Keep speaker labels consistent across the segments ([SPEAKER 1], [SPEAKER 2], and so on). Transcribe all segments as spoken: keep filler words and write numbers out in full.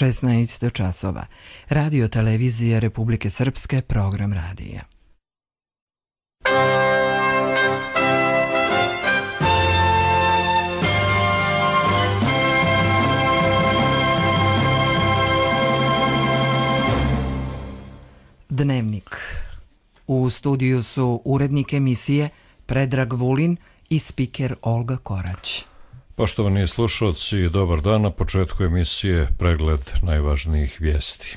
[SPEAKER 1] šesnaest časova. Radio televizije Republike Srpske, program radija. Dnevnik. U studiju su urednik emisije Predrag Vulin i spiker Olga Korać.
[SPEAKER 2] Poštovani slušalci, dobar dan. Na početku emisije pregled najvažnijih vijesti.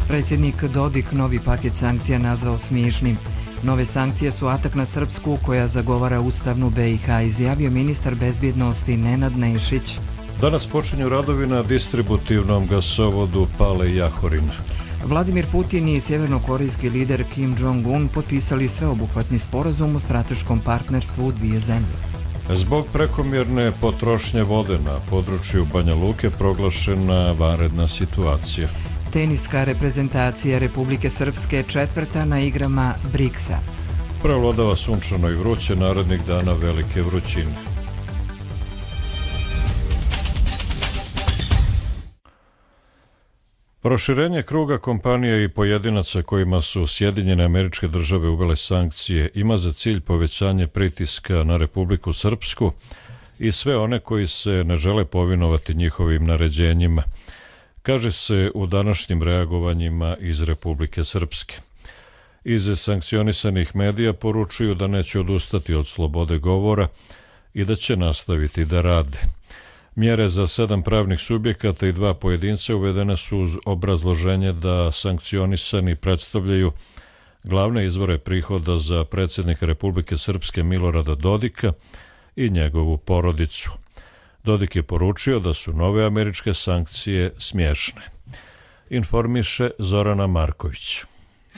[SPEAKER 1] Predsjednik Dodik novi paket sankcija nazvao smiješnim. Nove sankcije su atak na Srpsku koja zagovara ustavnu B i H, izjavio ministar bezbjednosti Nenad Nešić.
[SPEAKER 2] Danas počinju radovi na distributivnom gasovodu Pale-Jahorin.
[SPEAKER 1] Vladimir Putin i sjevernokorejski lider Kim Jong-un potpisali sveobuhvatni sporazum o strateškom partnerstvu u dvije zemlje.
[SPEAKER 2] Zbog prekomjerne potrošnje vode na području Banja Luke proglašena vanredna situacija.
[SPEAKER 1] Teniska reprezentacija Republike Srpske četvrta na igrama Briksa.
[SPEAKER 2] Prevladava sunčano i vruće, narednih dana velike vrućine. Proširenje kruga kompanija i pojedinaca kojima su Sjedinjene Američke Države uvele sankcije ima za cilj povećanje pritiska na Republiku Srpsku i sve one koji se ne žele povinovati njihovim naređenjima, kaže se u današnjim reagovanjima iz Republike Srpske. Iz sankcionisanih medija poručuju da neće odustati od slobode govora i da će nastaviti da rade. Mjere za sedam pravnih subjekata i dva pojedinca uvedene su uz obrazloženje da sankcionisani predstavljaju glavne izvore prihoda za predsjednika Republike Srpske Milorada Dodika i njegovu porodicu. Dodik je poručio da su nove američke sankcije smiješne. Informiše Zorana Marković.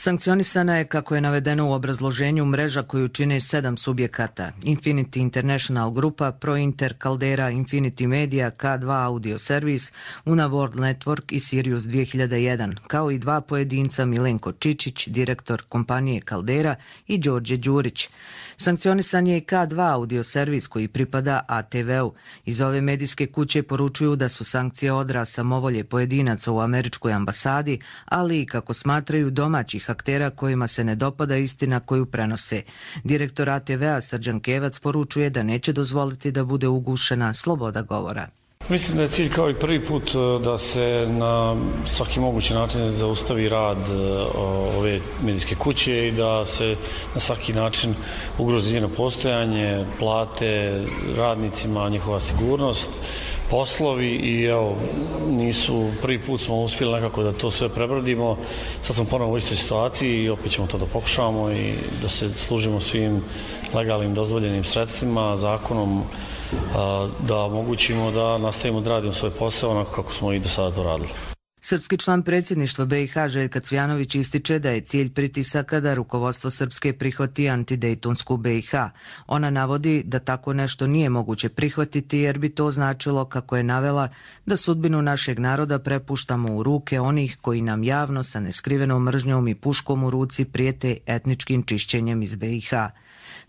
[SPEAKER 3] Sankcionisana je, kako je navedeno u obrazloženju, mreža koju čine sedam subjekata: Infinity International Grupa, ProInter, Caldera, Infinity Media, K dva Audio Service, Una World Network i Sirius dvije hiljade jedan, kao i dva pojedinca, Milenko Čičić, direktor kompanije Caldera, i Đorđe Đurić. Sankcionisan je i K dva Audio Service koji pripada A T V-u. Iz ove medijske kuće poručuju da su sankcije odraz samovolje pojedinaca u američkoj ambasadi, ali i, kako smatraju, domaćih aktera kojima se ne dopada istina koju prenose. Direktor A T V-a Srđan Kevac poručuje da neće dozvoliti da bude ugušena sloboda govora.
[SPEAKER 4] Mislim da je cilj kao i prvi put da se na svaki mogući način zaustavi rad ove medijske kuće i da se na svaki način ugrozi njeno postojanje, plate radnicima, njihova sigurnost, poslovi i evo, nisu, prvi put smo uspjeli nekako da to sve prebrodimo. Sad smo ponovno u istoj situaciji i opet ćemo to da pokušamo i da se služimo svim legalnim dozvoljenim sredstvima, zakonom, da omogućimo da nastavimo da radimo svoj posao onako kako smo i do sada to radili.
[SPEAKER 3] Srpski član predsjedništva B i H Željka Cvjanović ističe da je cilj pritisaka da rukovodstvo Srpske prihvati antidejtonsku B i H. Ona navodi da tako nešto nije moguće prihvatiti jer bi to značilo, kako je navela, da sudbinu našeg naroda prepuštamo u ruke onih koji nam javno sa neskrivenom mržnjom i puškom u ruci prijete etničkim čišćenjem iz B i H.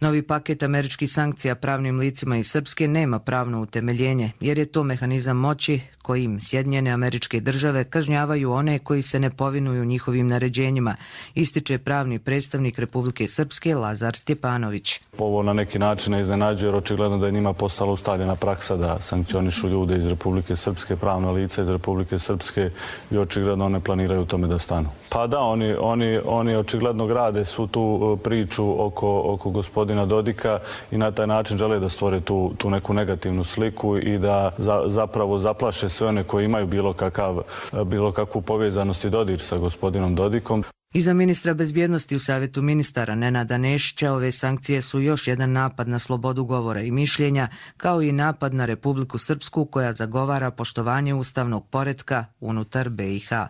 [SPEAKER 3] Novi paket američkih sankcija pravnim licima iz Srpske nema pravno utemeljenje, jer je to mehanizam moći kojim Sjedinjene Američke Države kažnjavaju one koji se ne povinuju njihovim naređenjima, ističe pravni predstavnik Republike Srpske Lazar Stjepanović.
[SPEAKER 5] Ovo na neki način ne iznenađuje, jer očigledno da je njima postala ustaljena praksa da sankcionišu ljude iz Republike Srpske, pravna lica iz Republike Srpske, i očigledno one planiraju u tome da stanu. Pa da, oni, oni, oni očigledno grade svu tu priču oko, oko gospodina Dodika i na taj način žele da stvore tu, tu neku negativnu sliku i da za, zapravo zaplaše sve one koji imaju bilo, kakav, bilo kakvu povezanost i dodir sa gospodinom Dodikom.
[SPEAKER 3] Iza ministra bezbjednosti u Savjetu ministara Nenada Nešića ove sankcije su još jedan napad na slobodu govora i mišljenja, kao i napad na Republiku Srpsku koja zagovara poštovanje ustavnog poretka unutar B i H.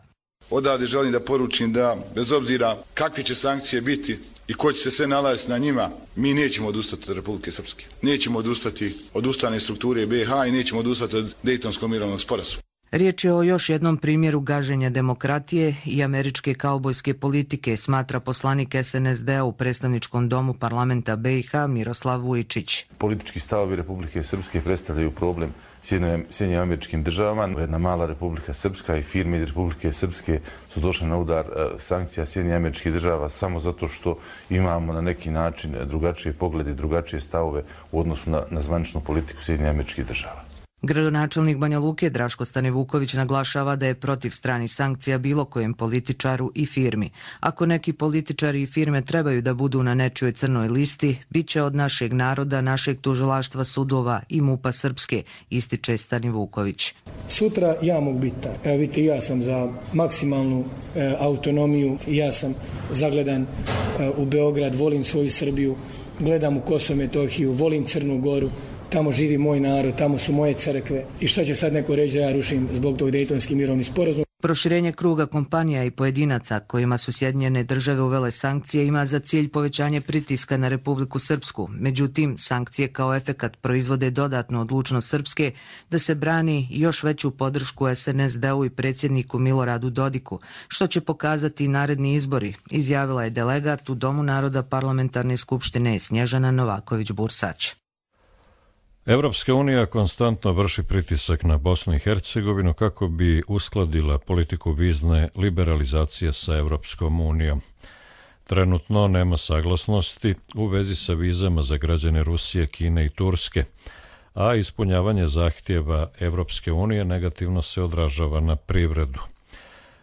[SPEAKER 6] Odavde želim da poručim da, bez obzira kakve će sankcije biti i ko će se sve nalaziti na njima, mi nećemo odustati od Republike Srpske. Nećemo odustati od ustavne strukture B i H i nećemo odustati od Dejtonskog mirovnog sporazuma.
[SPEAKER 3] Riječ je o još jednom primjeru gaženja demokratije i američke kaubojske politike, smatra poslanik S N S D-a u predstavničkom domu parlamenta B i H Miroslav Vujčić.
[SPEAKER 7] Politički stavovi Republike Srpske predstavljaju problem Sjedinjenim Američkim Državama. Jedna mala Republika Srpska i firme iz Republike Srpske su došle na udar sankcija Sjedinjenih Američkih Država samo zato što imamo na neki način drugačije poglede, drugačije stavove u odnosu na, na zvaničnu politiku Sjedinjenih Američkih Država.
[SPEAKER 3] Gradonačelnik Banja Luke Draško Stanivuković naglašava da je protiv stranih sankcija bilo kojem političaru i firmi. Ako neki političari i firme trebaju da budu na nečijoj crnoj listi, bit će od našeg naroda, našeg tužilaštva, sudova i MUP-a Srpske, ističe Stanivuković.
[SPEAKER 8] Sutra ja mogu biti tak. Evo vidite, ja sam za maksimalnu e, autonomiju, ja sam zagledan e, u Beograd, volim svoju Srbiju, gledam u Kosovo i Metohiju, volim Crnu Goru. Tamo živi moj narod, tamo su moje crkve. I šta će sad neko reći da ja rušim zbog tog Dejtonski mirovni sporazum?
[SPEAKER 3] Proširenje kruga kompanija i pojedinaca kojima su Sjedinjene Države uvele sankcije ima za cilj povećanje pritiska na Republiku Srpsku. Međutim, sankcije kao efekat proizvode dodatnu odlučnost Srpske da se brani još veću podršku S N S D-u i predsjedniku Miloradu Dodiku, što će pokazati i naredni izbori, izjavila je delegat u Domu naroda Parlamentarne skupštine Snježana Novaković-Bursać.
[SPEAKER 2] Evropska unija konstantno vrši pritisak na Bosnu i Hercegovinu kako bi uskladila politiku vizne liberalizacije sa Evropskom unijom. Trenutno nema saglasnosti u vezi sa vizama za građane Rusije, Kine i Turske, a ispunjavanje zahtjeva Evropske unije negativno se odražava na privredu.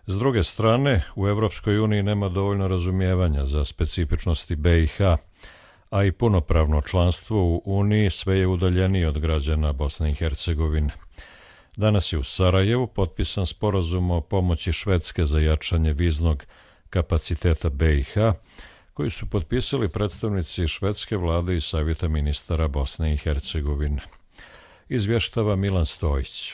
[SPEAKER 2] S druge strane, u Evropskoj uniji nema dovoljno razumijevanja za specifičnosti B i H, a i punopravno članstvo u Uniji sve je udaljenije od građana Bosne i Hercegovine. Danas je u Sarajevu potpisan sporazum o pomoći Švedske za jačanje viznog kapaciteta B i H, koji su potpisali predstavnici švedske vlade i Savjeta ministara Bosne i Hercegovine. Izvještava Milan Stojić.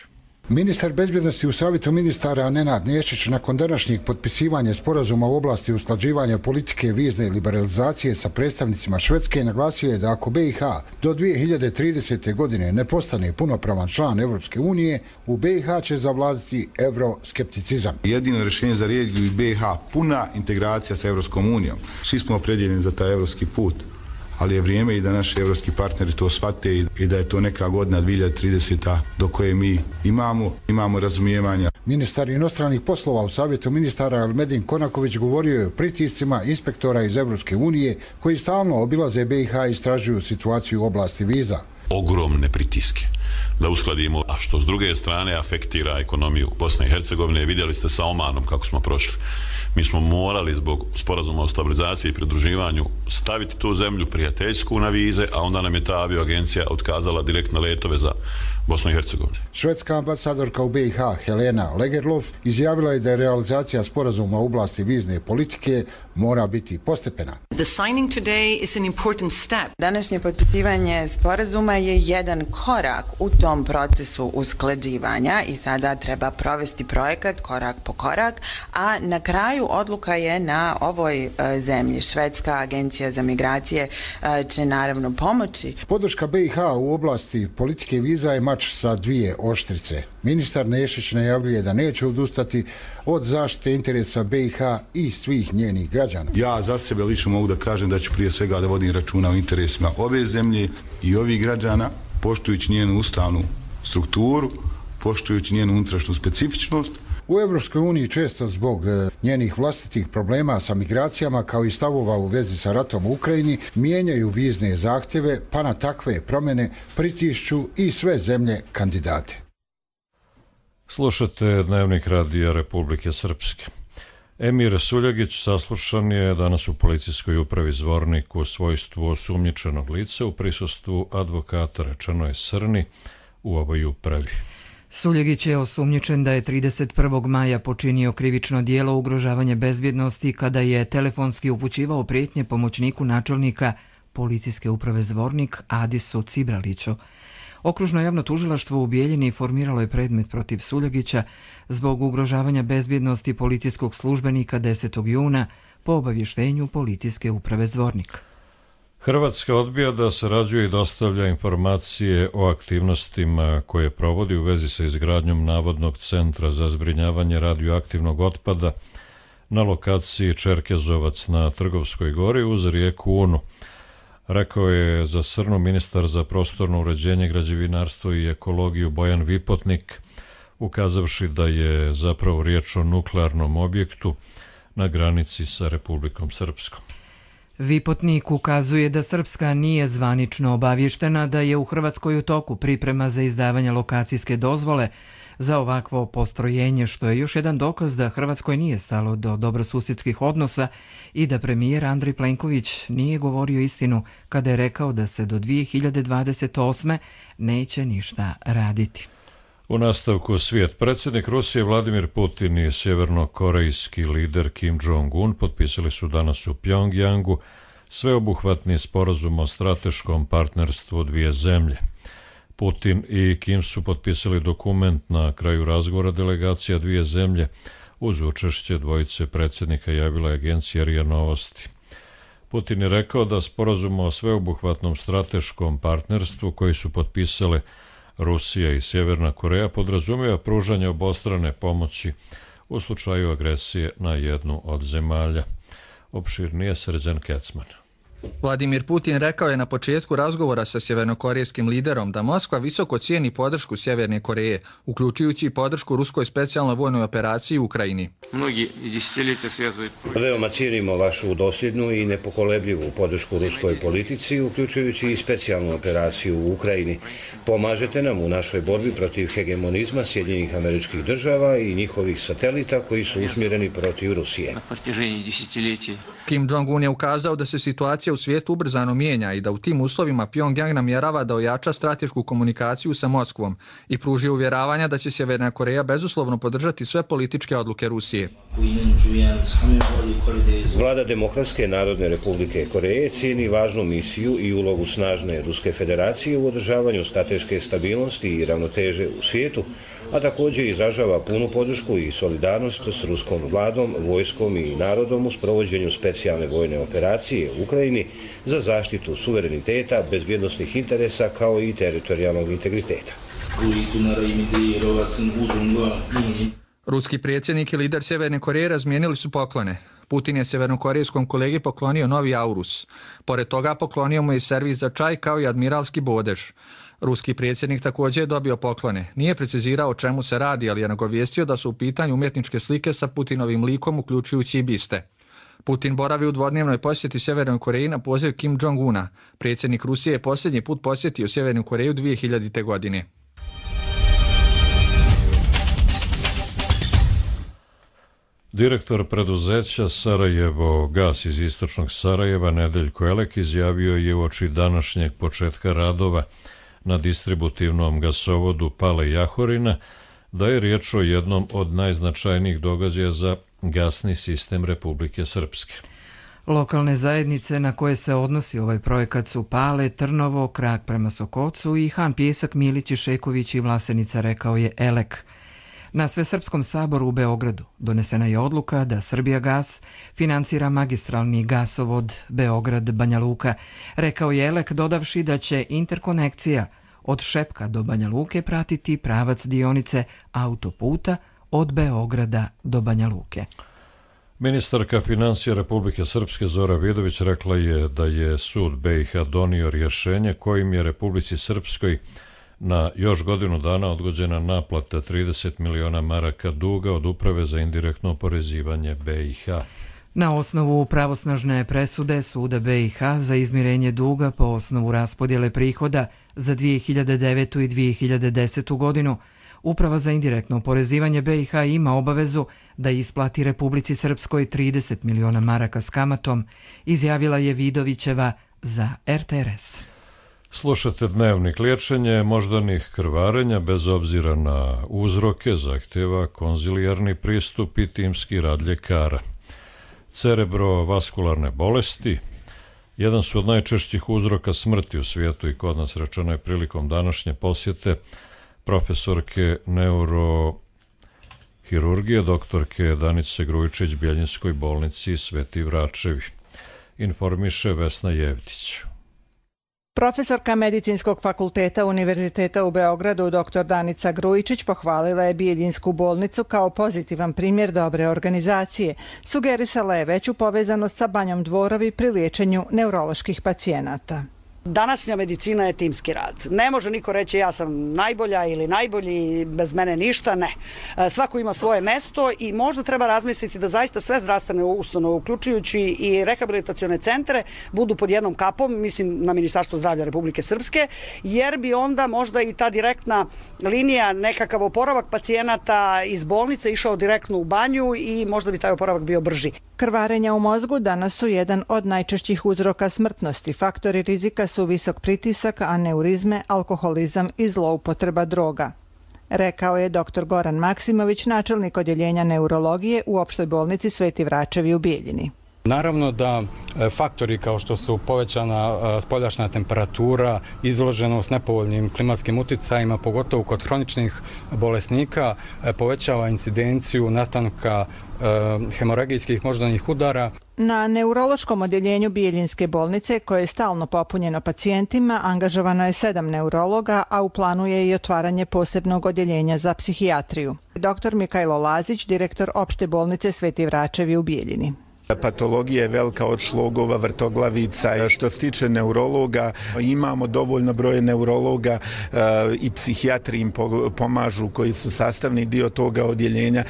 [SPEAKER 9] Ministar bezbjednosti u Savjetu ministara Nenad Nešić nakon današnjeg potpisivanja sporazuma u oblasti usklađivanja politike vizne liberalizacije sa predstavnicima Švedske naglasio je da ako B i H do dvije hiljade tridesete. godine ne postane punopravan član Evropske unije, u B i H će zavladati euroskepticizam.
[SPEAKER 6] Jedino rješenje za regiju i B i H puna integracija sa Evropskom unijom. Svi smo opredjeljeni za taj evropski put, ali je vrijeme i da naši evropski partneri to shvate i da je to neka godina dvije hiljade tridesete. do koje mi imamo, imamo razumijevanja.
[SPEAKER 9] Ministar inostranih poslova u Savjetu ministara Elmedin Konaković govorio je o pritiscima inspektora iz Evropske unije koji stalno obilaze B i H i istražuju situaciju u oblasti viza.
[SPEAKER 10] Ogromne pritiske da uskladimo, a što s druge strane afektira ekonomiju Bosne i Hercegovine. Vidjeli ste sa Omanom kako smo prošli. Mi smo morali zbog sporazuma o stabilizaciji i pridruživanju staviti tu zemlju prijateljsku na vize, a onda nam je ta avioagencija otkazala direktne letove za Bosnu i Hercegovinu.
[SPEAKER 9] Švedska ambasadorka u B i H Helena Legerlof izjavila je da je realizacija sporazuma u oblasti vizne politike mora biti postepena.
[SPEAKER 11] The signing today is an important step.
[SPEAKER 12] Današnje potpisivanje sporazuma je jedan korak u tom procesu usklađivanja i sada treba provesti projekat korak po korak, a na kraju odluka je na ovoj zemlji. Švedska agencija za migracije će naravno pomoći.
[SPEAKER 9] Podrška B i H u oblasti politike viza je mač sa dvije oštrice. Ministar Nešić najavljuje da neće odustati od zaštite interesa B i H i svih njenih građana.
[SPEAKER 6] Ja za sebe lično mogu da kažem da ću prije svega da vodim računa o interesima ove zemlje i ovih građana, poštujući njenu ustavnu strukturu, poštujući njenu unutrašnju specifičnost.
[SPEAKER 9] U Evropskoj uniji često zbog njenih vlastitih problema sa migracijama kao i stavova u vezi sa ratom u Ukrajini mijenjaju vizne zahtjeve, pa na takve promjene pritišću i sve zemlje kandidate.
[SPEAKER 2] Slušate Dnevnik radija Republike Srpske. Emir Suljagić saslušan je danas u policijskoj upravi Zvornik u svojstvu osumnjičenog lica u prisustvu advokata, rečeno je Srni, u ovoj upravi.
[SPEAKER 1] Suljegić je osumnjičen da je trideset prvog maja počinio krivično djelo ugrožavanja bezbjednosti kada je telefonski upućivao prijetnje pomoćniku načelnika policijske uprave Zvornik Adisu Cibraliću. Okružno javno tužilaštvo u Bijeljini formiralo je predmet protiv Suljegića zbog ugrožavanja bezbjednosti policijskog službenika desetog juna po obavještenju policijske uprave Zvornik.
[SPEAKER 2] Hrvatska odbija da sarađuje i dostavlja informacije o aktivnostima koje provodi u vezi sa izgradnjom navodnog centra za zbrinjavanje radioaktivnog otpada na lokaciji Čerkezovac na Trgovskoj gori uz rijeku Unu. Rekao je za Srnu ministar za prostorno uređenje, građevinarstvo i ekologiju Bojan Vipotnik, ukazavši da je zapravo riječ o nuklearnom objektu na granici sa Republikom Srpskom.
[SPEAKER 1] Vipotnik ukazuje da Srpska nije zvanično obavještena da je u Hrvatskoj u toku priprema za izdavanje lokacijske dozvole za ovakvo postrojenje, što je još jedan dokaz da Hrvatskoj nije stalo do dobrosusjedskih odnosa i da premijer Andrej Plenković nije govorio istinu kada je rekao da se do dvije hiljade dvadeset osme neće ništa raditi.
[SPEAKER 2] U nastavku svijet. Predsjednik Rusije Vladimir Putin i sjevernokorejski lider Kim Jong-un potpisali su danas u Pjongjangu sveobuhvatni sporazum o strateškom partnerstvu dvije zemlje. Putin i Kim su potpisali dokument na kraju razgovora delegacija dvije zemlje uz učešće dvojice predsjednika, javila je agencija R I A Novosti. Putin je rekao da sporazum o sveobuhvatnom strateškom partnerstvu koji su potpisale Rusija i Sjeverna Koreja podrazumijeva pružanje obostrane pomoći u slučaju agresije na jednu od zemalja. Opširnije Srđan Kecman.
[SPEAKER 13] Vladimir Putin rekao je na početku razgovora sa sjevernokorejskim liderom da Moskva visoko cijeni podršku Sjeverne Koreje, uključujući i podršku ruskoj specijalnoj vojnoj operaciji u Ukrajini.
[SPEAKER 14] Veoma cijenimo vašu dosljednu i nepokolebljivu podršku ruskoj politici, uključujući i specijalnu operaciju u Ukrajini. Pomažete nam u našoj borbi protiv hegemonizma Sjedinjenih Američkih Država i njihovih satelita koji su usmjereni protiv Rusije.
[SPEAKER 13] Kim Jong-un je ukazao da se situacija u svijetu ubrzano mijenja i da u tim uslovima Pjongjang namjerava da ojača stratešku komunikaciju sa Moskvom i pruži uvjeravanja da će Sjeverna Koreja bezuslovno podržati sve političke odluke Rusije.
[SPEAKER 14] Vlada Demokratske narodne republike Koreje cijeni važnu misiju i ulogu snažne Ruske federacije u održavanju strateške stabilnosti i ravnoteže u svijetu, a također izražava punu podršku i solidarnost s ruskom vladom, vojskom i narodom u sprovođenju specijalne vojne operacije u Ukrajini za zaštitu suvereniteta, bezbjednosnih interesa kao i teritorijalnog integriteta.
[SPEAKER 13] Ruski predsjednik i lider Sjeverne Koreje razmijenili su poklone. Putin je sjevernokorejskom kolegi poklonio novi Aurus. Pored toga poklonio mu je servis za čaj kao i admiralski bodež. Ruski predsjednik također je dobio poklone. Nije precizirao o čemu se radi, ali je nagovijestio da su u pitanju umjetničke slike sa Putinovim likom, uključujući i biste. Putin boravi u dvodnevnoj posjeti Sjevernoj Koreji na poziv Kim Jong-una. Predsjednik Rusije je posljednji put posjetio Sjevernu Koreju dvije hiljadite. godine.
[SPEAKER 2] Direktor preduzeća Sarajevo Gas iz istočnog Sarajeva Nedeljko Elek izjavio je uoči današnjeg početka radova na distributivnom gasovodu Pale Jahorina da je riječ o jednom od najznačajnijih događaja za gasni sistem Republike Srpske.
[SPEAKER 1] Lokalne zajednice na koje se odnosi ovaj projekat su Pale, Trnovo, Krak prema Sokocu i Han Pjesak, Milić, Šeković i Vlasenica, rekao je Elek. Na Svesrpskom saboru u Beogradu donesena je odluka da Srbijagas financira magistralni gasovod Beograd-Banja Luka, rekao je Elek, dodavši da će interkonekcija od Šepka do Banja Luke pratiti pravac dionice autoputa od Beograda do Banja Luke.
[SPEAKER 2] Ministarka financija Republike Srpske Zora Vidović rekla je da je sud B i H donio rješenje kojim je Republici Srpskoj na još godinu dana odgođena naplata trideset miliona maraka duga od Uprave za indirektno oporezivanje B i H.
[SPEAKER 1] Na osnovu pravosnažne presude Suda B i H za izmirenje duga po osnovu raspodjele prihoda za dvije hiljade devetu. i dvije hiljade desetu. godinu, Uprava za indirektno oporezivanje B i H ima obavezu da isplati Republici Srpskoj trideset miliona maraka s kamatom, izjavila je Vidovićeva za R T R S.
[SPEAKER 2] Slušate Dnevnik. Liječenje moždanih krvarenja bez obzira na uzroke zahtjeva konzilijarni pristup i timski rad ljekara. Cerebrovaskularne bolesti jedan su od najčešćih uzroka smrti u svijetu i kod nas, rečeno je prilikom današnje posjete profesorke neurohirurgije doktorke Danice Grujičić Bjeljinskoj bolnici Sveti Vračevi. Informiše Vesna Jevtić.
[SPEAKER 15] Profesorka Medicinskog fakulteta Univerziteta u Beogradu dr Danica Grujičić pohvalila je Bijeljinsku bolnicu kao pozitivan primjer dobre organizacije. Sugerisala je veću povezanost sa Banjom Dvorovi pri liječenju neuroloških pacijenata.
[SPEAKER 16] Današnja medicina je timski rad. Ne može niko reći ja sam najbolja ili najbolji, bez mene ništa, ne. Svako ima svoje mesto i možda treba razmisliti da zaista sve zdravstvene ustanove, uključujući i rehabilitacione centre, budu pod jednom kapom, mislim na Ministarstvo zdravlja Republike Srpske, jer bi onda možda i ta direktna linija, nekakav oporavak pacijenata iz bolnice išao direktno u banju i možda bi taj oporavak bio brži.
[SPEAKER 15] Krvarenja u mozgu danas su jedan od najčešćih uzroka smrtnosti. Faktori rizika su visok pritisak, aneurizme, alkoholizam i zloupotreba droga, rekao je dr Goran Maksimović, načelnik odjeljenja neurologije u opštoj bolnici Sveti Vračevi u Bijeljini.
[SPEAKER 17] Naravno da faktori kao što su povećana spoljašnja temperatura, izloženost nepovoljnim klimatskim uticajima, pogotovo kod hroničnih bolesnika, povećava incidenciju nastanka hemoragijskih moždanih udara.
[SPEAKER 15] Na neurološkom odjeljenju Bijeljinske bolnice, koje je stalno popunjeno pacijentima, angažovano je sedam neurologa, a u planu je i otvaranje posebnog odjeljenja za psihijatriju. dr Mikajlo Lazić, direktor opšte bolnice Sveti Vračevi u Bijeljini.
[SPEAKER 18] Patologija je velika od šlogova, vrtoglavica. Što se tiče neurologa, imamo dovoljno broje neurologa i psihijatri im pomažu koji su sastavni dio toga odjeljenja.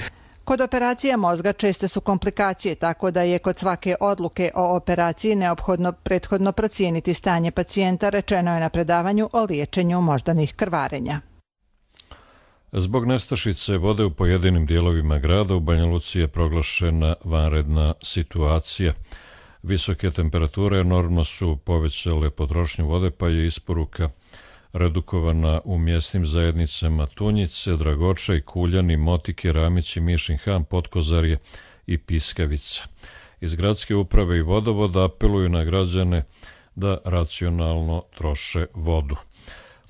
[SPEAKER 15] Kod operacija mozga česte su komplikacije, tako da je kod svake odluke o operaciji neophodno prethodno procijeniti stanje pacijenta, rečeno je na predavanju o liječenju moždanih krvarenja.
[SPEAKER 2] Zbog nestašice vode u pojedinim dijelovima grada u Banja Luci je proglašena vanredna situacija. Visoke temperature enormno su povećale potrošnju vode, pa je isporuka redukovana u mjesnim zajednicama Tunjice, Dragočaj, Kuljani, Motike, Ramići, Mišin Han, Potkozarje i Piskavica. Iz gradske uprave i vodovoda apeluju na građane da racionalno troše vodu.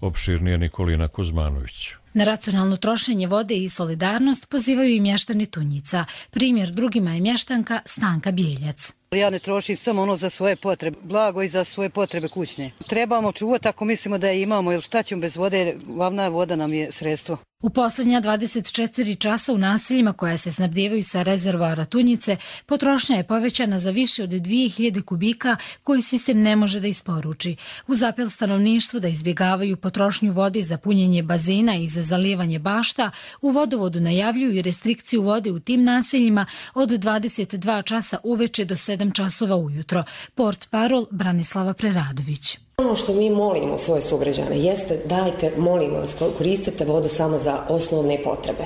[SPEAKER 2] Opširnije Nikolina Kuzmanović.
[SPEAKER 19] Na racionalno trošenje vode i solidarnost pozivaju i mještani Tunjica. Primjer drugima je mještanka Stanka Bijeljac.
[SPEAKER 20] Ja ne trošim samo ono za svoje potrebe, blago i za svoje potrebe kućne. Trebamo čuvati ako mislimo da je imamo, jer šta ćemo bez vode, glavna voda nam je sredstvo.
[SPEAKER 19] U posljednja dvadeset četiri časa u naseljima koja se snabdijevaju sa rezervoara Tunjice, potrošnja je povećana za više od dvije hiljade kubika koji sistem ne može da isporuči. Uz apel stanovništvu da izbjegavaju potrošnju vode za punjenje bazena i za zalijevanje bašta, u vodovodu najavljuju i restrikciju vode u tim naseljima od dvadeset dva časa uveče do sedam časova ujutro. Port parol Branislava Preradović.
[SPEAKER 21] Ono što mi molimo svoje sugrađane jeste dajte, molimo vas, koristite vodu samo za osnovne potrebe.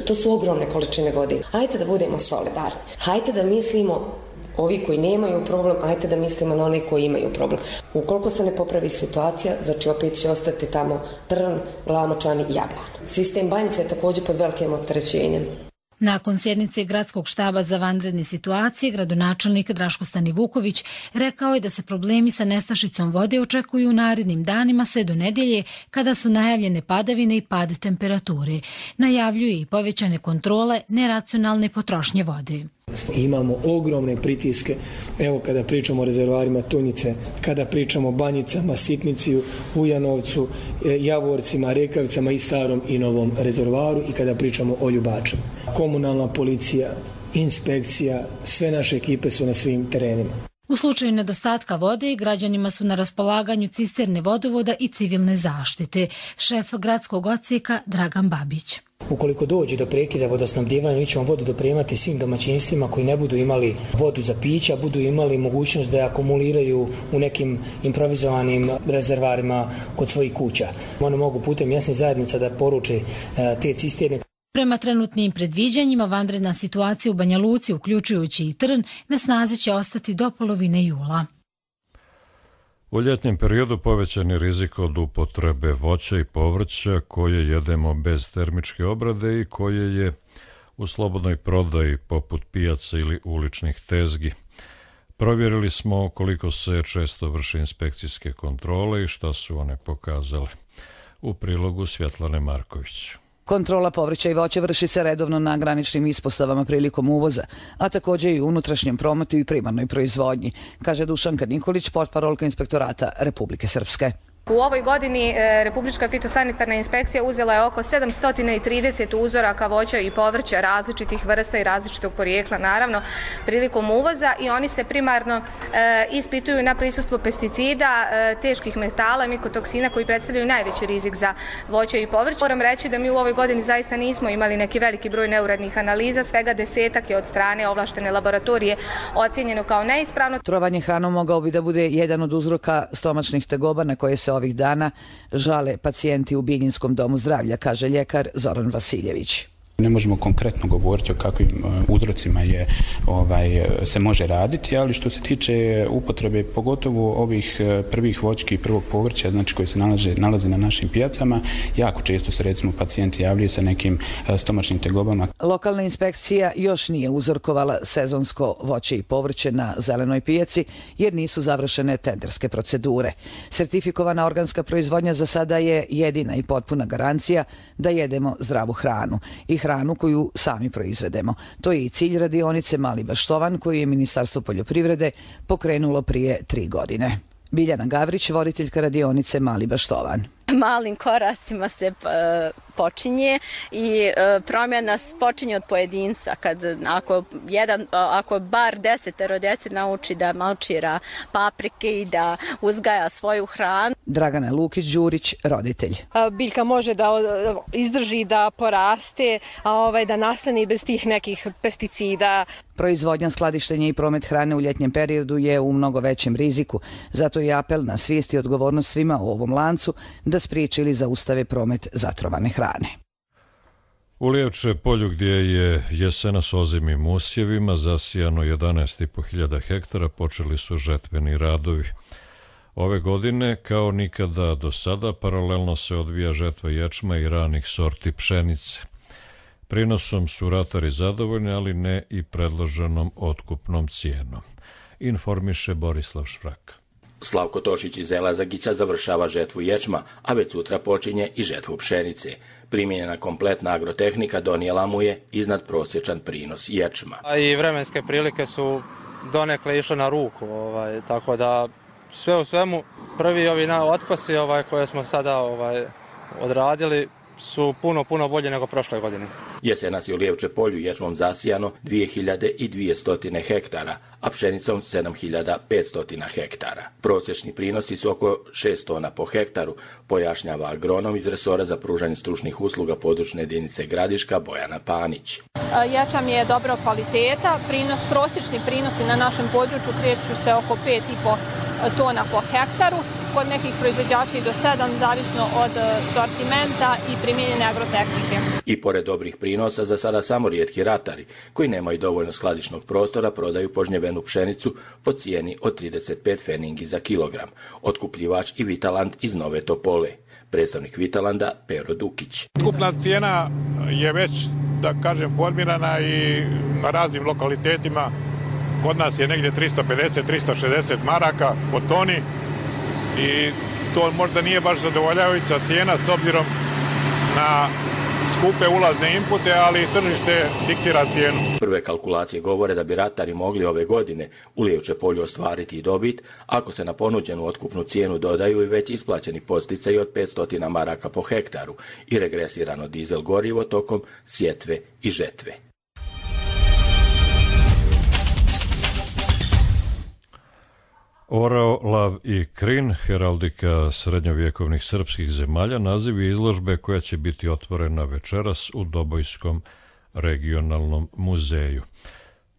[SPEAKER 21] To su ogromne količine vode. Hajde da budemo solidarni. Hajde da mislimo, ovi koji nemaju problem, hajde da mislimo na one koji imaju problem. Ukoliko se ne popravi situacija, znači opet će ostati tamo trn, glamočan i jablan. Sistem Banjice je također pod velikim opterećenjem.
[SPEAKER 19] Nakon sjednice gradskog štaba za vanredne situacije, gradonačelnik Draško Stanivuković rekao je da se problemi sa nestašicom vode očekuju u narednim danima sve do nedjelje, kada su najavljene padavine i pad temperature. Najavljuje i povećane kontrole neracionalne potrošnje vode.
[SPEAKER 8] Imamo ogromne pritiske, evo kada pričamo o rezervoarima Tunjice, kada pričamo o Banjicama, Sitniciju, Ujanovcu, Javorcima, Rekavicama i starom i novom rezervoaru i kada pričamo o Ljubačama. Komunalna policija, inspekcija, sve naše ekipe su na svim terenima.
[SPEAKER 19] U slučaju nedostatka vode, građanima su na raspolaganju cisterne vodovoda i civilne zaštite. Šef gradskog odsjeka Dragan Babić.
[SPEAKER 22] Ukoliko dođe do prekida vodosnabdijevanja, mi ćemo vodu dopremati svim domaćinstvima koji ne budu imali vodu za pića, budu imali mogućnost da je akumuliraju u nekim improvizovanim rezervarima kod svojih kuća. One mogu putem mjesnih zajednica da poruče te cisterne.
[SPEAKER 19] Prema trenutnim predviđanjima, vanredna situacija u Banja Luci, uključujući i Trn, na snazi će ostati do polovine jula.
[SPEAKER 2] U ljetnjem periodu povećan je rizik od upotrebe voća i povrća koje jedemo bez termičke obrade i koje je u slobodnoj prodaji poput pijaca ili uličnih tezgi. Provjerili smo koliko se često vrše inspekcijske kontrole i šta su one pokazale. U prilogu Svjetlane Marković.
[SPEAKER 4] Kontrola povrća i voća vrši se redovno na graničnim ispostavama prilikom uvoza, a također i u unutrašnjem prometu i primarnoj proizvodnji, kaže Dušanka Nikolić, portparolka Inspektorata Republike Srpske.
[SPEAKER 5] U ovoj godini e, Republička fitosanitarna inspekcija uzela je oko sedamsto trideset uzoraka voća i povrća različitih vrsta i različitog porijekla, naravno, prilikom uvoza i oni se primarno e, ispituju na prisustvo pesticida, e, teških metala, mikotoksina koji predstavljaju najveći rizik za voće i povrće. Moram reći da mi u ovoj godini zaista nismo imali neki veliki broj neuradnih analiza, svega desetak je od strane ovlaštene laboratorije ocjenjeno kao neispravno.
[SPEAKER 4] Trovanje hranom mogao bi da bude jedan od uzroka stomačnih tegoba na koje se ovih dana žale pacijenti u Biljinskom domu zdravlja, kaže ljekar Zoran Vasiljević.
[SPEAKER 23] Ne možemo konkretno govoriti o kakvim uzrocima je, ovaj, se može raditi, ali što se tiče upotrebe pogotovo ovih prvih voćki i prvog povrća, znači koji se nalaze, nalaze na našim pijacama, jako često se recimo pacijenti javljaju sa nekim stomačnim tegobama.
[SPEAKER 4] Lokalna inspekcija još nije uzorkovala sezonsko voće i povrće na zelenoj pijaci jer nisu završene tenderske procedure. Sertifikovana organska proizvodnja za sada je jedina i potpuna garancija da jedemo zdravu hranu i hranu koju sami proizvedemo. To je i cilj radionice Mali Baštovan koju je Ministarstvo poljoprivrede pokrenulo prije tri godine. Biljana Gavrić, voditeljka radionice Mali Baštovan.
[SPEAKER 24] Malim koracima se počinje i promjena počinje od pojedinca. Kad, ako, jedan, ako bar desetero djece nauči da malčira paprike i da uzgaja svoju hranu.
[SPEAKER 4] Dragana Lukić-Đurić, roditelj.
[SPEAKER 25] Biljka može da izdrži, da poraste, a ovaj, da nastane bez tih nekih pesticida.
[SPEAKER 4] Proizvodnja, skladištenje i promet hrane u ljetnjem periodu je u mnogo većem riziku. Zato je apel na svijest i odgovornost svima u ovom lancu da spriječi ili zaustave promet zatrovane hrane.
[SPEAKER 2] U Lijevče polju gdje je jesena s ozimim usjevima zasijano jedanaest i po hiljada hektara počeli su žetveni radovi. Ove godine, kao nikada do sada, paralelno se odvija žetva ječma i ranih sorti pšenice. Prinosom su ratari zadovoljni, ali ne i predloženom otkupnom cijenom. Informiše Borislav Švrak.
[SPEAKER 26] Slavko Tošić iz Elazagića završava žetvu ječma, a već sutra počinje i žetvu pšenice. Primijenjena kompletna agrotehnika donijela mu je iznad prosječan prinos ječma.
[SPEAKER 27] A i vremenske prilike su donekle išle na ruku, ovaj, tako da sve u svemu prvi ovi otkosi ovaj, koje smo sada ovaj, odradili su puno, puno bolje nego prošle godine.
[SPEAKER 26] Jesenas je u Lijevče polju ječmom zasijano dvije hiljade dvjesto hektara, a pšenicom sedam hiljada petsto hektara. Prosječni prinosi su oko šest tona po hektaru, pojašnjava agronom iz resora za pružanje stručnih usluga područne jedinice Gradiška Bojana Panić.
[SPEAKER 28] Ječam je dobro kvaliteta, prinos, prosječni prinosi na našem području kreću se oko pet i po tona po hektaru, kod nekih proizvođača i do sedam, zavisno od sortimenta i primijenjene agrotehnike.
[SPEAKER 26] I pored dobrih prinosa, za sada samo rijetki ratari, koji nemaju dovoljno skladišnog prostora, prodaju požnjevenu pšenicu po cijeni od trideset pet feningi za kilogram. Otkupljivač i Vitaland iz Nove Topole. Predstavnik Vitalanda Pero Dukić.
[SPEAKER 29] Otkupna cijena je već, da kažem, formirana i na raznim lokalitetima. Kod nas je negdje tristo pedeset do tristo šezdeset maraka po toni i to možda nije baš zadovoljavajuća cijena s obzirom na skupe ulazne inpute, ali tržište diktira cijenu.
[SPEAKER 26] Prve kalkulacije govore da bi ratari mogli ove godine u Lijevče polju ostvariti dobit ako se na ponuđenu otkupnu cijenu dodaju i već isplaćeni podsticaji od petsto maraka po hektaru i regresirano dizel gorivo tokom sjetve i žetve.
[SPEAKER 2] Orao, lav i krin, heraldika srednjovjekovnih srpskih zemalja, naziv je izložbe koja će biti otvorena večeras u Dobojskom regionalnom muzeju.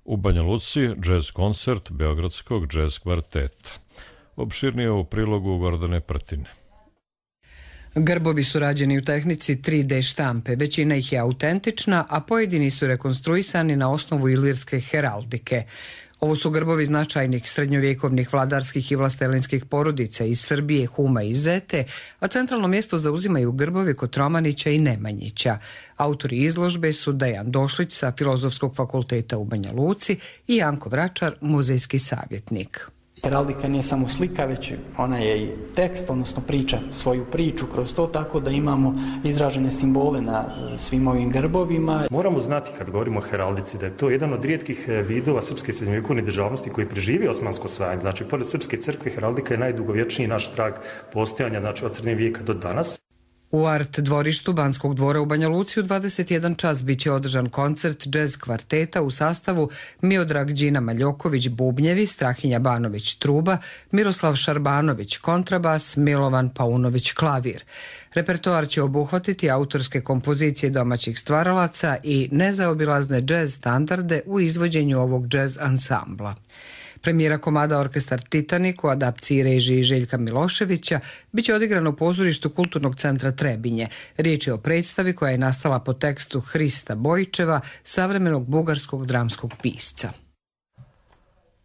[SPEAKER 2] U Banja Luci džez koncert Beogradskog džez kvarteta. Opširnije u prilogu Gordane Prtine.
[SPEAKER 3] Grbovi su rađeni u tehnici tri de štampe, većina ih je autentična, a pojedini su rekonstruisani na osnovu ilirske heraldike. Ovo su grbovi značajnih srednjovjekovnih vladarskih i vlastelinskih porodica iz Srbije, Huma i Zete, a centralno mjesto zauzimaju grbovi Kotromanića i Nemanjića. Autori izložbe su Dejan Došlić sa Filozofskog fakulteta u Banja Luci i Janko Vračar, muzejski savjetnik.
[SPEAKER 1] Heraldika nije samo slika, već ona je i tekst, odnosno priča svoju priču kroz to, tako da imamo izražene simbole na svim ovim grbovima.
[SPEAKER 6] Moramo znati kad govorimo o heraldici da je to jedan od rijetkih vidova srpske srednjovjekovne državnosti koji preživi osmansko osvajanje. Znači, pored srpske crkve, heraldika je najdugovječniji naš trag postojanja, znači od srednjeg vijeka do danas.
[SPEAKER 3] U Art dvorištu Banskog dvora u Banja Luci u dvadeset jedan čas biće održan koncert džez kvarteta u sastavu Miodrag Đina Maljoković bubnjevi, Strahinja Banović truba, Miroslav Šarbanović kontrabas, Milovan Paunović klavir. Repertoar će obuhvatiti autorske kompozicije domaćih stvaralaca i nezaobilazne džez standarde u izvođenju ovog džez ansambla. Premijera komada Orkestar Titanik u adapciji režiji Željka Miloševića biće odigrano u pozorištu Kulturnog centra Trebinje. Riječ je o predstavi koja je nastala po tekstu Hrista Bojićeva, savremenog bugarskog dramskog pisca.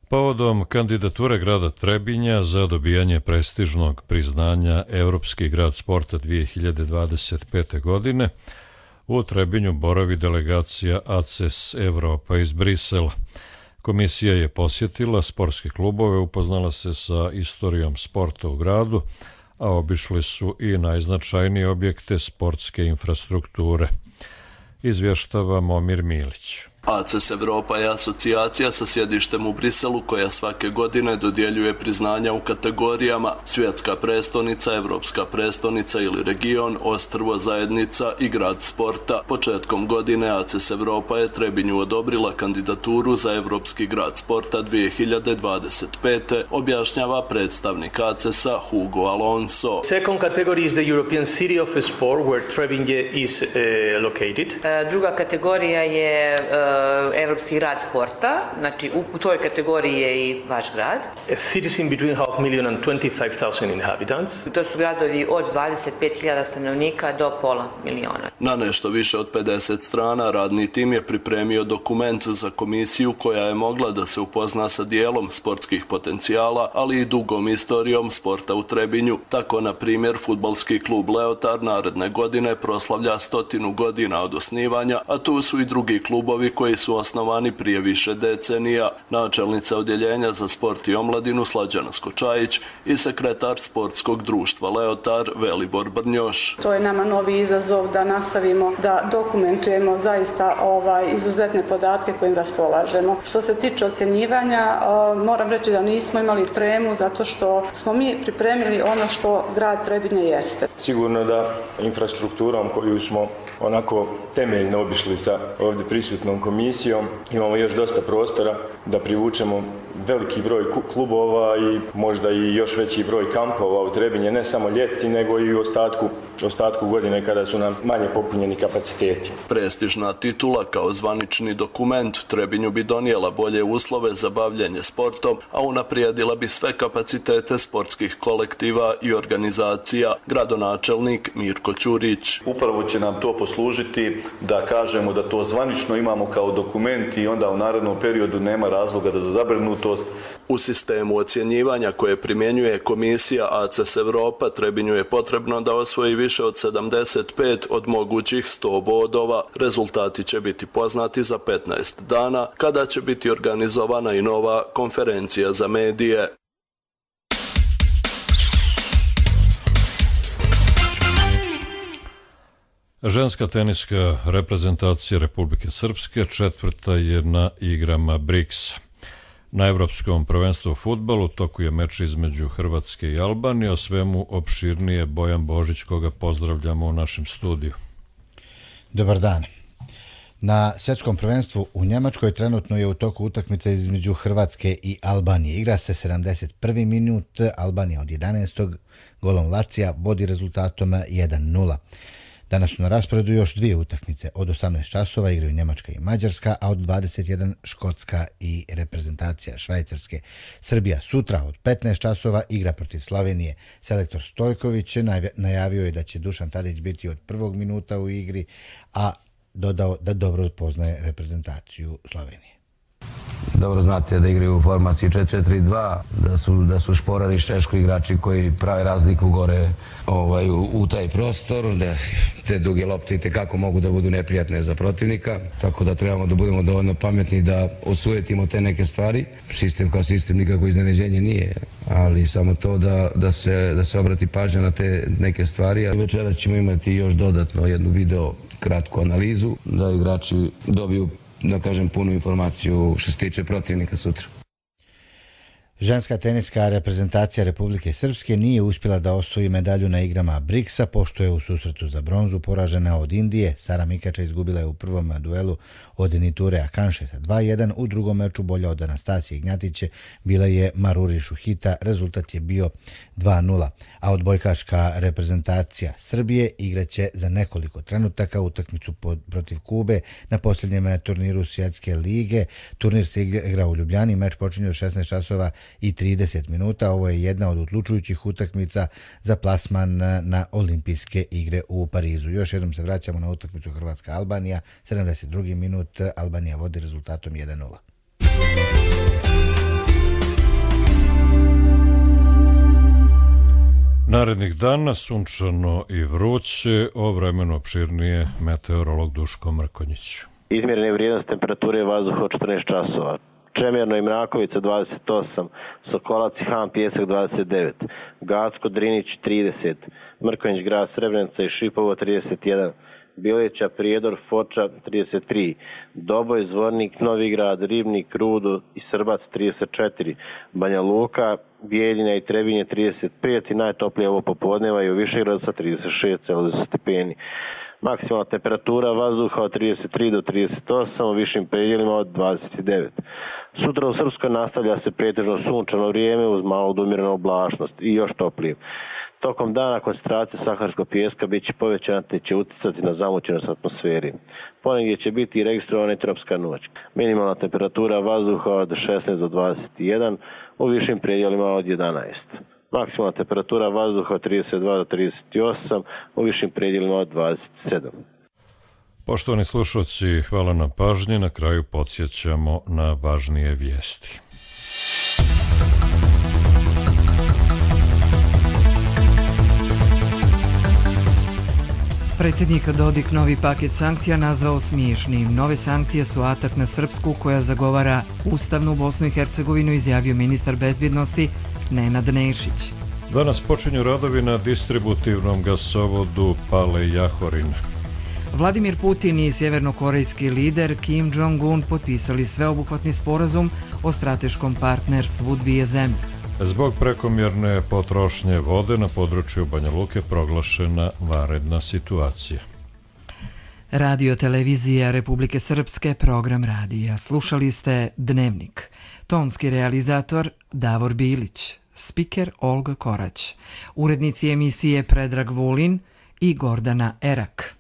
[SPEAKER 2] Povodom kandidature grada Trebinja za dobijanje prestižnog priznanja Evropski grad sporta dvije hiljade dvadeset pete. godine, u Trebinju boravi delegacija A C E S Evropa iz Brisela. Komisija je posjetila sportske klubove, upoznala se sa istorijom sporta u gradu, a obišli su i najznačajnije objekte sportske infrastrukture. Izvještava Momir Milić.
[SPEAKER 7] A C E S Evropa je asocijacija sa sjedištem u Briselu koja svake godine dodjeljuje priznanja u kategorijama svjetska prestonica, evropska prestonica ili region, ostrvo, zajednica i grad sporta. Početkom godine A C E S Evropa je Trebinju odobrila kandidaturu za Evropski grad sporta dvije hiljade dvadeset pete. objašnjava predstavnik A C E S-a Hugo Alonso.
[SPEAKER 9] Second category is the European City of Sport where Trebinje is uh, located.
[SPEAKER 10] Uh, druga kategorija je uh, Evropski grad sporta, znači u toj kategoriji je i vaš grad.
[SPEAKER 9] Cities in between half million and twenty-five thousand inhabitants.
[SPEAKER 10] To su gradovi od dvadeset pet hiljada stanovnika do pola miliona.
[SPEAKER 7] Na nešto više od pedeset strana radni tim je pripremio dokument za komisiju koja je mogla da se upozna sa dijelom sportskih potencijala, ali i dugom istorijom sporta u Trebinju. Tako, na primjer, fudbalski klub Leotar naredne godine proslavlja stotinu godina od osnivanja, a tu su i drugi klubovi koji su osnovani prije više decenija. Načelnica odjeljenja za sport i omladinu Slađana Skočajić i sekretar sportskog društva Leotar Velibor Brnjoš.
[SPEAKER 11] To je nama novi izazov da nastavimo da dokumentujemo zaista ovaj izuzetne podatke kojim raspolažemo. Što se tiče ocjenjivanja, moram reći da nismo imali tremu zato što smo mi pripremili ono što grad Trebinje jeste.
[SPEAKER 12] Sigurno da infrastrukturom koju smo onako temeljno obišli sa ovdje prisutnom komisijom imamo još dosta prostora da privučemo veliki broj klubova i možda i još veći broj kampova u Trebinje, ne samo ljeti nego i u ostatku, ostatku godine kada su nam manje popunjeni kapaciteti.
[SPEAKER 7] Prestižna titula kao zvanični dokument Trebinju bi donijela bolje uslove za bavljenje sportom, a unaprijedila bi sve kapacitete sportskih kolektiva i organizacija, gradonačelnik Mirko Ćurić.
[SPEAKER 13] Upravo će nam to poslužiti da kažemo da to zvanično imamo kao dokument i onda u narednom periodu nema razloga da za zabrinutost.
[SPEAKER 7] U sistemu ocjenjivanja koje primjenjuje komisija A C E S Evropa Trebinju je potrebno da osvoji više od sedamdeset pet od mogućih sto bodova. Rezultati će biti poznati za petnaest dana kada će biti organizovana i nova konferencija za medije.
[SPEAKER 2] Ženska teniska reprezentacija Republike Srpske četvrta je na igrama briksa. Na Evropskom prvenstvu u fudbalu toku je meč između Hrvatske i Albanije. O svemu opširnije Bojan Božić, koga pozdravljamo u našem studiju.
[SPEAKER 14] Dobar dan. Na svjetskom prvenstvu u Njemačkoj trenutno je u toku utakmica između Hrvatske i Albanije. Igra se sedamdeset prvi minut, Albanija od jedanaestog golom Lacija vodi rezultatom jedan nula. Danas su na rasporedu još dvije utakmice. Od osamnaest časova igraju Njemačka i Mađarska, a od dvadeset jedan Škotska i reprezentacija Švajcarske. Srbija sutra od petnaest časova igra protiv Slovenije. Selektor Stojković najavio je da će Dušan Tadić biti od prvog minuta u igri, a dodao da dobro poznaje reprezentaciju Slovenije.
[SPEAKER 8] dobro znate da igraju u formaciji četiri četiri dva, da su, da su Šporar i Šeško igrači koji prave razliku gore ovaj, u, u taj prostor, da te duge lopte itekako mogu da budu neprijatne za protivnika, tako da trebamo da budemo dovoljno pametni da osujetimo te neke stvari. Sistem kao sistem nikako iznenađenje nije, ali samo to da, da, se, da se obrati pažnja na te neke stvari. A večeras ćemo imati još dodatno jednu video kratku analizu, da igrači dobiju, da kažem, punu informaciju što se tiče protivnika sutra.
[SPEAKER 14] Ženska teniska reprezentacija Republike Srpske nije uspjela da osvoji medalju na igrama Briksa, pošto je u susretu za bronzu poražena od Indije. Sara Mikača izgubila je u prvom duelu od Niture Akanše sa dva jedan, u drugom meču bolja od Anastasije Ignjatiće bila je Maruri Šuhita, rezultat je bio dva nula. A odbojkaška reprezentacija Srbije igraće za nekoliko trenutaka utakmicu protiv Kube na posljednjem turniru Svjetske lige. Turnir se igra u Ljubljani, meč počinje od šesnaest časova i trideset minuta. Ovo je jedna od odlučujućih utakmica za plasman na olimpijske igre u Parizu. Još jednom se vraćamo na utakmicu Hrvatska-Albanija. sedamdeset drugi minut, Albanija vodi rezultatom jedan nula.
[SPEAKER 2] Narednih dana sunčano i vruće, o vremenu opširnije meteorolog Duško Mrkonjić.
[SPEAKER 15] Izmjerene vrijednosti temperature vazduha od četrnaest časova. Čemerno i Mrakovica dvadeset osam, Sokolac i Han Pjesak dvadeset devet, Gacko, Drinić trideset, Mrkonjić, Grad Srebrenica i Šipovo trideset jedan, Bileća, Prijedor, Foča trideset tri, Doboj, Zvornik, Novigrad, Ribnik, Rudo i Srbac trideset četiri, Banja Luka, Bijeljina i Trebinje trideset pet i najtoplije ovo popodneva i u Višegradu sa trideset šest stepeni. Maksimalna temperatura vazduha od trideset tri do trideset osam, u višim predjelima od dvadeset devet. Sutra u Srpskoj nastavlja se pretežno sunčano vrijeme uz malu do umjerenu oblačnost i još toplije. Tokom dana koncentracija saharskog pijeska bit će povećana te će uticati na zamućenost atmosferi. Ponegdje će biti i registrovana i tropska noć. Minimalna temperatura vazduha od šesnaest do dvadeset jedan, u višim predjelima od jedanaest. Maksimalna temperatura vazduha od trideset dva do trideset osam, u višim predjelima od dvadeset sedam.
[SPEAKER 2] Poštovani slušalci, hvala na pažnji. Na kraju podsjećamo na važnije vijesti.
[SPEAKER 16] Predsjednik Dodik novi paket sankcija nazvao smiješnim. Nove sankcije su atak na Srpsku koja zagovara ustavnu Bosnu i Hercegovinu, izjavio ministar bezbjednosti Nenad Nešić.
[SPEAKER 2] Danas počinju radovi na distributivnom gasovodu Pale-Jahorin.
[SPEAKER 16] Vladimir Putin i sjevernokorejski lider Kim Jong-un potpisali sveobuhvatni sporazum o strateškom partnerstvu dvije zemlje.
[SPEAKER 2] Zbog prekomjerne potrošnje vode na području Banja Luke proglašena vanredna situacija.
[SPEAKER 16] Radio televizija Republike Srpske, program radija. Slušali ste Dnevnik. Tonski realizator Davor Bilić, spiker Olga Korać, urednici emisije Predrag Vulin i Gordana Erak.